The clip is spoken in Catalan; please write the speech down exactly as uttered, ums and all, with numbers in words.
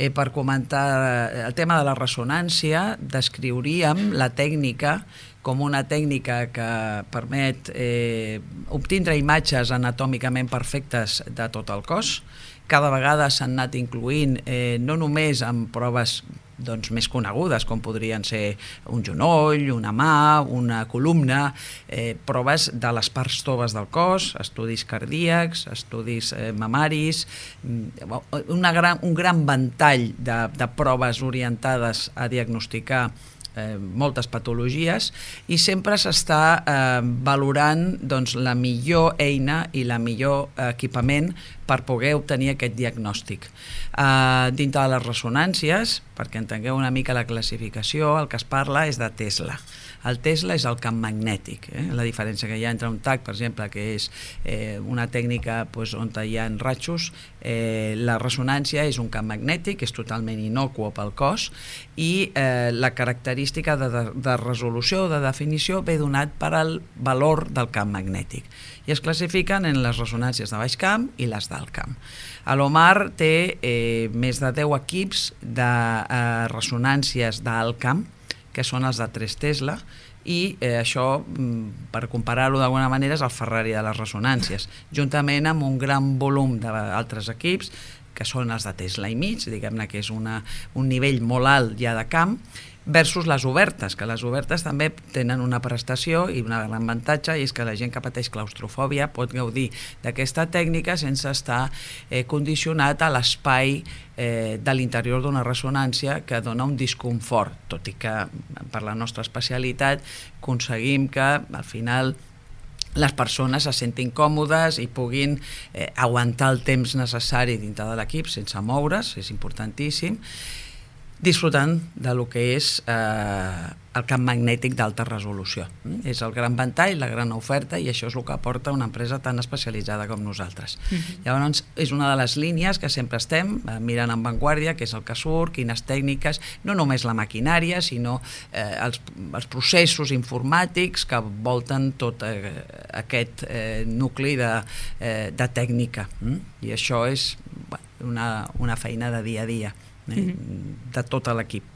eh, per comentar el tema de la ressonància, descriuríem la tècnica com una tècnica que permet eh, obtindre imatges anatòmicament perfectes de tot el cos. Cada vegada s'han anat incloent eh, no només en proves doncs, més conegudes, com podrien ser un genoll, una mà, una columna, eh, proves de les parts toves del cos, estudis cardíacs, estudis eh, mamaris, una gran, un gran ventall de, de proves orientades a diagnosticar Eh, moltes patologies, i sempre s'està eh, valorant doncs, la millor eina i la millor equipament per poder obtenir aquest diagnòstic. Eh, dintre de les ressonàncies, perquè entengueu una mica la classificació, el que es parla és de Tesla. El Tesla és el camp magnètic, eh? La diferència que hi ha entre un T A C, per exemple, que és eh, una tècnica pues, on hi ha ratxos, eh, la ressonància és un camp magnètic, és totalment innocuo pel cos, i eh, la característica de, de, de resolució o de definició ve donat per al valor del camp magnètic. I es classifiquen en les ressonàncies de baix camp i les d'alt camp. L'Omar té eh, més de deu equips de eh, ressonàncies d'alt camp, que són els de tres Tesla, i eh, això, per comparar-ho d'alguna manera, és el Ferrari de les ressonàncies, juntament amb un gran volum d'altres equips, que són els de Tesla i mig, diguem-ne que és una, un nivell molt alt ja de camp, versus les obertes, que les obertes també tenen una prestació i un gran avantatge, i és que la gent que pateix claustrofòbia pot gaudir d'aquesta tècnica sense estar eh, condicionat a l'espai eh, de l'interior d'una ressonància, que dona un disconfort, tot i que per la nostra especialitat aconseguim que al final les persones se sentin còmodes i puguin eh, aguantar el temps necessari dintre de l'equip sense moure's, és importantíssim, disfrutant de lo que és eh, el camp magnètic d'alta resolució. És el gran ventall, la gran oferta, i això és el que aporta una empresa tan especialitzada com nosaltres. Uh-huh. Llavors, és una de les línies que sempre estem eh, mirant en vanguardia, que és el que surt, quines tècniques, no només la maquinària, sinó eh, els, els processos informàtics que volten tot eh, aquest eh, nucli de, eh, de tècnica. Mm? I això és bueno, una, una feina de dia a dia, eh, de tot l'equip.